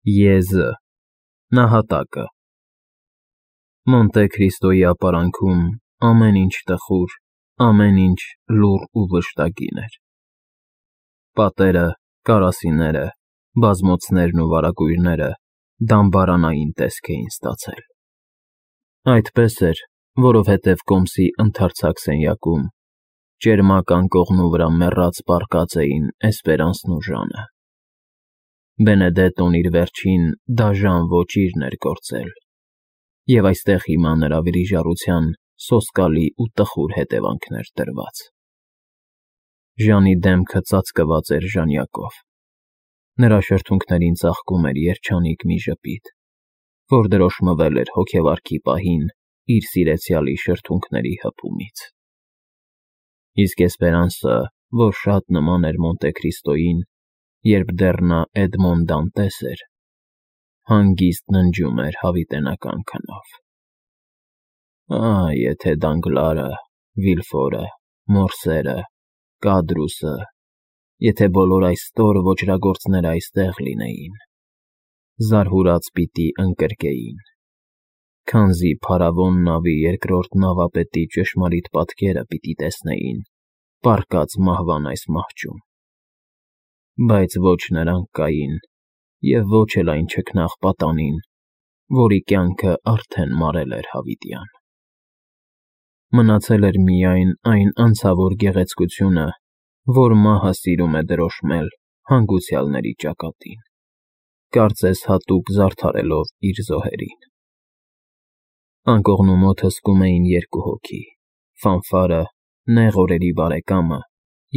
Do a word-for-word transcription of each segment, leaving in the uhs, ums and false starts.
Եզը, նահատակը։ Մոնտե Քրիստոյի ապարանքում ամեն ինչ տխուր, ամեն ինչ լուռ ու վշտագին էր. պատերը, կարասիները, բազմոցներն ու վարագույրները դամբարանային տեսք էին ստացել։ Այդպես էր, որովհետև կոմսի ընդարձակ սենյակում ճերմակ անկողնու վրա մեռած պառկած էին Էսպերանսն ու Ժանը։ Բենեդետոն իր վերջին դաժան ոճիրն էր գործել, և այստեղ հիմա նրա վիրիժառության սոսկալի ու տխուր հետևանքն էր դրված։ Ժանի դեմքը ծածկված էր ժանյակով, նրա շրթունքներին ծաղկում էր երջանիկ մի ժպիտ, որ դրոշմվել էր հոգեվարքի պահին իր սիրեցյալի շրթունքների հպումից։ Իսկ Էսպերանսը, որ շատ նման էր Մոնտե Քրիստոյին, երբ դեռ նա Էդմոն Դանտես էր, հանգիստ ննջում էր հավիտենական քնով. «Ահ, եթե Դանգլարը, Վիլֆորը, Մորսերը, Կադրուսը, եթե բոլոր այս ստոր ոճրագործները այստեղ լինեին, զարհուրած պիտի ընկրկեին, քանզի փարավոն նավի երկրորդ նավապետի ճշմարիտ պատկերը պիտի տեսնեին պառկած մահվան այս մահճում, բայց ոչ նրանք կային և ոչ էլ այն չքնաղ պատանին, որի կյանքը արդեն մարել էր հավիտյան։ Մնացել էր միայն այն անցավոր գեղեցկությունը, որ մահը սիրում է դրոշմել հանգուցյալների ճակատին, կարծես հատուկ զարդարելով իր զոհերին։ Անկողնու մոտ հսկում էին երկու հոգի՝ Ֆանֆարը, նեղ օրերի բարեկամը,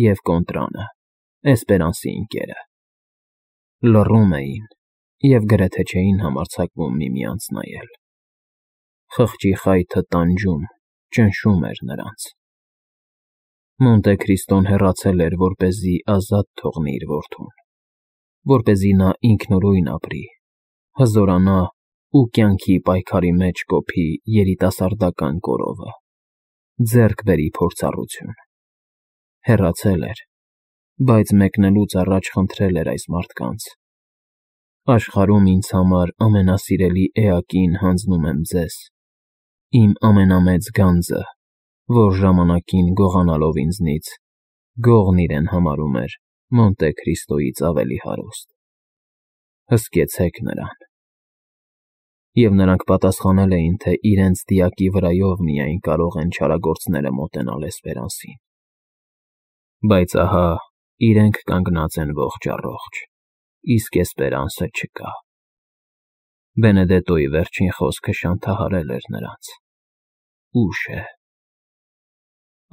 և Կոնտրանը, Էսպերանսի ընկերը։ Լռում էին և գրեթե չէին համարձակվում միմյանց նայել։ Խղճի խայթը տանջում, ճնշում էր նրանց։ Մոնտե Քրիստոն հեռացել էր, որպեսզի ազատ թողնի իր որդուն, որպեսզի նա ինքնուրույն ապրի, հզորանա ու կյանքի պայքարի մեջ կոփի երիտասարդական կորովը, ձեռք բերի փորձառություն։ Հեռացել էր, բայց մեկնելուց առաջ խնդրել էր այս մարդկանց. «Աշխարհում ինձ համար ամենասիրելի էակին հանձնում եմ ձեզ, իմ ամենամեծ գանձը, որ ժամանակին գողանալով ինձնից, գողն իրեն համարում էր Մոնտե Քրիստոյից ավելի հարուստ։ Հսկեցեք նրան»։ Եվ նրանք պատասխանել էին, թե իրենց դիակի վրայով միայն կարող են չարագործները մոտենալ Էսպերանսին։ Բայց ահա իրենք կանգնած են ողջ առողջ, իսկ Էսպերանսը չկա։ Բենեդետոյի վերջին խոսքը շանթահարել էր նրանց. «Ուշ է»։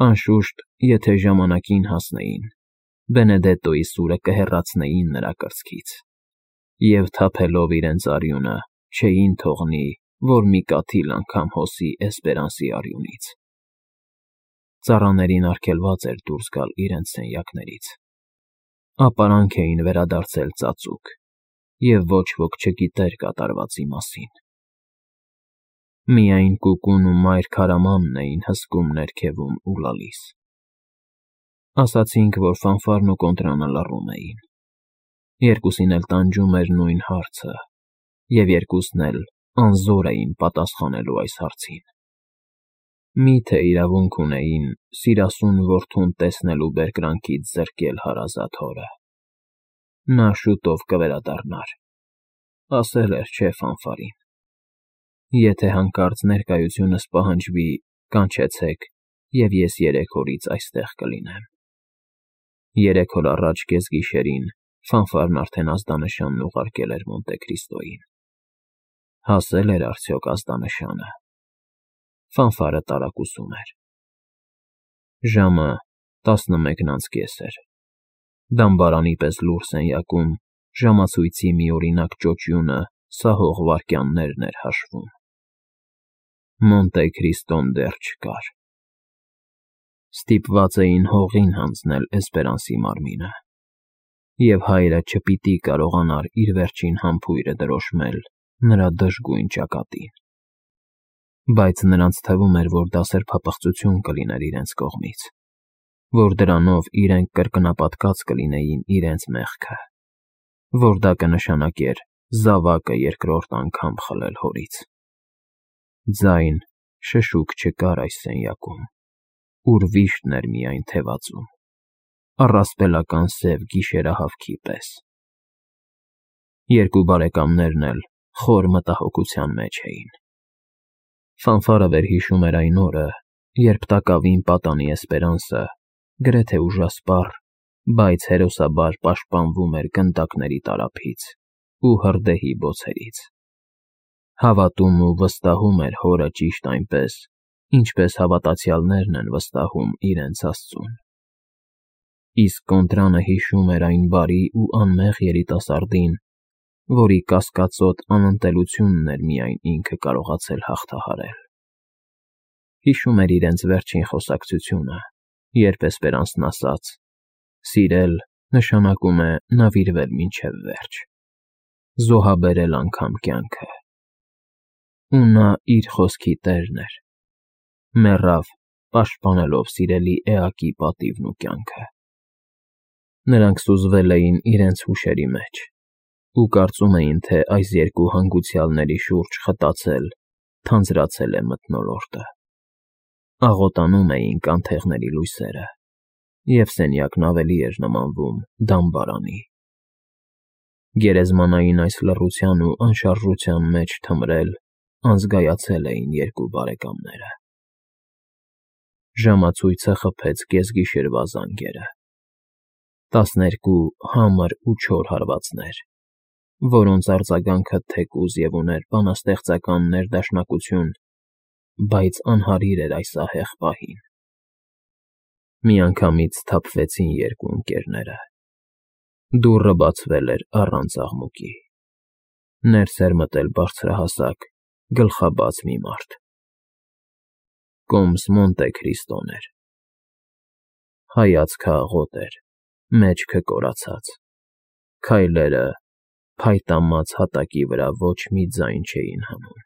Անշուշտ, եթե ժամանակին հասնեին, Բենեդետոյի սուրը կհեռացնեին նրա կրծքից, և թափելով իրենց արյունը, չէին թողնի, որ մի կաթիլ անգամ հոսի Էսպերանսի արյունից։ Ծառաներին արգելված էր դուրս գալ իրենց սենյակներից։ Ապարանք էին վերադարձել ծածուկ, և ոչ ոք չգիտեր կատարվածի մասին։ Միայն կուկուն ու մայր քարամանն էին հսկում ներքևում ու լալիս։ Ասացինք, որ Ֆանֆարն ու Կոնտրանը լռում էին։ Երկուսին էլ տանջում էր նույն հարցը, և երկուսն էլ անզոր էին պատասխանելու այս հարցին. մի՞թե իրավունք ունեին սիրասուն որդուն տեսնելու բերկրանքից զրկել հարազատ հորը։ Նա շուտով կվերադառնար, ասել էր չէ Ֆանֆարին. «Եթե հանկարծ ներկայությունս պահանջվի, կանչեցեք, և ես երեք օրից այստեղ կլինեմ»։ Երեք օր առաջ կեսգիշերին Ֆանֆարն արդեն ազդանշանն ուղարկել էր Մոնտե Քրիստոյին։ Հասե՞լ էր արդյոք ազդանշանը։ Ֆանֆարը տարակուսում էր։ Ժամը տասնմեկն անց կես էր։ Դամբարանի պես լուռ սենյակում ժամացույցի միօրինակ ճոճյունը սահող վայրկյաններն էր հաշվում։ Մոնտե Քրիստոն դեռ չկար։ Ստիպված էին հողին հանձնել Էսպերանսի մարմինը, և հայրը չպիտի կարողանար իր վերջին համբույրը դրոշմել նրա դժգույն ճակատին։ Բայց նրանց թվում էր, որ դա սրբապղծություն կլիներ իրենց կողմից, որ դրանով իրենք կրկնապատկած կլինեին իրենց մեղքը, որ դա կնշանակեր, զավակը երկրորդ անգամ խլել հորից։ Ձայն, շշուկ չկար այս սենյակում, ուր վիշտն էր միայն թևածում, առասպելական սև գիշերահավքի պես։ Երկու բարեկամներն էլ խոր մտահոգության մեջ էին։ Ֆանֆարը վերհիշում էր այն օրը, երբ տակավին պատանի Էսպերանսը, գրեթե ուժասպառ, բայց հերոսաբար պաշտպանվում էր գնդակների տարափից ու հրդեհի բոցերից։ Հավատում ու վստահում էր հորը ճիշտ այնպես, ինչպես հավատացյալներն են վստահում իրենց Աստծուն։ Իսկ Կոնտրանը հիշում էր այն բարի ու անմեղ երիտասարդին, որի կասկածոտ անընդելությունն էր միայն ինքը կարողացել հաղթահարել։ Հիշում էր իրենց վերջին խոսակցությունը, երբ Էսպերանսն ասաց. «Սիրել նշանակում է նվիրվել մինչև վերջ, զոհաբերել անգամ կյանքը»։ Ու նա իր խոսքի տերն էր, մեռավ, պաշտպանելով սիրելի էակի պատիվն ու կյանքը։ Նրանք սուզվել էին իրենց հուշերի մեջ ու կարծում էին, թե այս երկու հանգուցյալների շուրջ խտացել, թանձրացել է մթնոլորտը։ Աղոտանում էին կանթեղների լույսերը, և սենյակն ավելի էր նմանվում դամբարանի։ Գերեզմանային այս լռության ու անշարժության մեջ թմրել, անզգայացել էին երկու բարեկամները։ Ժամացույցը խփեց կեսգիշերվա զանգերը։ Տասներկու համր ու չոր հարվածներ, որոնց արձագանքը թեկուզ և ուներ բանաստեղծական ներդաշնակություն, բայց անհարիր էր այս ահեղ պահին։ Միանգամից սթափվեցին երկու ընկերները։ Դուռը բացվել էր առանց աղմուկի։ Ներս էր մտել բարձրահասակ, գլխաբաց մի մարդ։ Կոմս Մոնտե Քրիստոն էր։ Հայացքը աղոտ էր, մեջքը կորացած, քայլերը փայտամած հատակի վրա ոչ մի ձայն չէին հանում։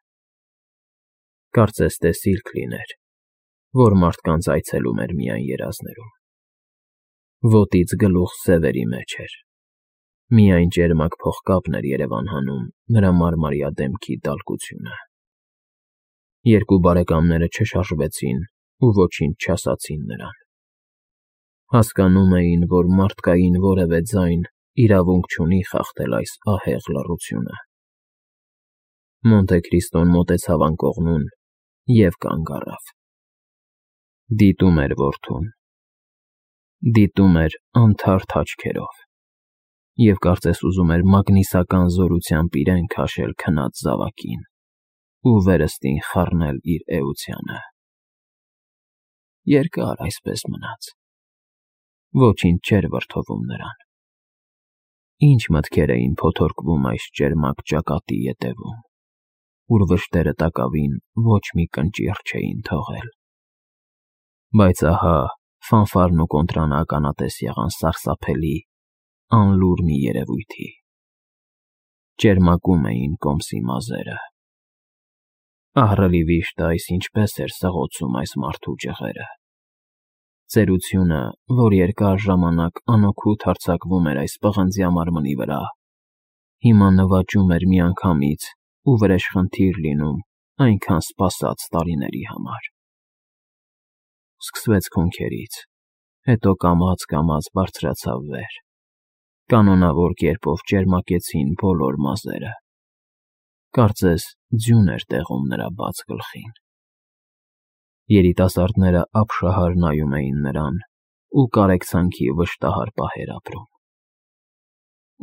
Կարծես թե սիրկ լիներ, որ մարդկանց այցելում էր միայն երազներում։ Ոտից գլուխ սևերի մեջ էր։ Միայն ճերմակ փողկապն էր երևան հանում նրա մարմարյա դեմքի դալկությունը։ Երկու բարեկամները չշարժվեցին ու ոչինչ չասացին նրան։ Հասկանում էին, որ մարդկային որևէ ձայն իրավունք չունի խախտել այս ահեղ լռությունը։ Մոնտե Քրիստոն մոտեցավ անկողնուն և կանգ առավ։ Դիտում էր որդուն։ Դիտում էր անթարթ աչքերով և կարծես ուզում էր մագնիսական զորությամբ իրեն քաշել քնած զավակին ու վերստին խառնել իր էությանը։ Երկար այսպես մնաց։ Ոչինչ չէր վրդովում նրան։ Ինչ մտքեր էին փոթորկվում այս ճերմակ ճակատի ետևում, ուր վշտերը տակավին ոչ մի կնճիռ չէին թողել։ Բայց ահա Ֆանֆարն ու Կոնտրանը ականատես եղան սարսափելի, անլուր մի երևույթի։ Ճերմակում էին կոմսի մազերը։ Ահռելի վիշտը այս ինչպես էր սղոցում այս մարդու ջղերը։ Ծերությունը, որ երկար ժամանակ անօգուտ հարձակվում էր այս պղնձյա մարմնի վրա, հիմա նվաճում էր միանգամից ու վրեժխնդիր լինում այնքան սպասած տարիների համար։ Սկսվեց քունքերից, հետո կամաց-կամաց բարձրացավ վեր։ Կանոնավոր կերպով ճերմակեցին բոլոր մազերը։ Կարծես ձյուն էր տեղում նրա բաց գլխին։ Երիտասարդները ապշահար նայում էին նրան ու կարեկցանքի վշտահար պահեր ապրում։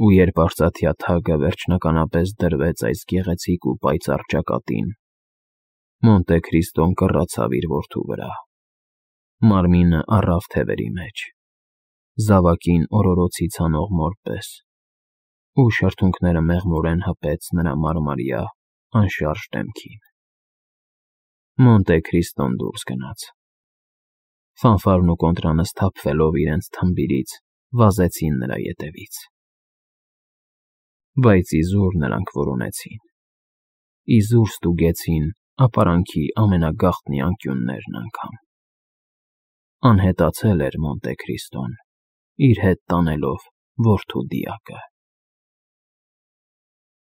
Ու երբ արծաթյա թագը վերջնականապես դրվեց այս գեղեցիկ ու պայծառ ճակատին, Մոնտե Քրիստոն կռացավ իր որդու վրա։ Մարմինը առավ թևերի մեջ, զավակին օրորոցի ցանող մոր պես, ու շրթունքները մեղմորեն հպեց նրա մարմարյա, անշարժ դեմքին։ Մոնտե Քրիստոն դուրս գնաց։ Ֆանֆարն ու Կոնտրանը սթափվելով իրենց թմբիրից վազեցին նրա ետևից։ Բայց իզուր նրանք որոնեցին։ Իզուր ստուգեցին ապարանքի ամենագաղտնի անկյուններն անգամ։ Անհետացել էր Մոնտե Քրիստոն, իր հետ տանելով որդու դիակը։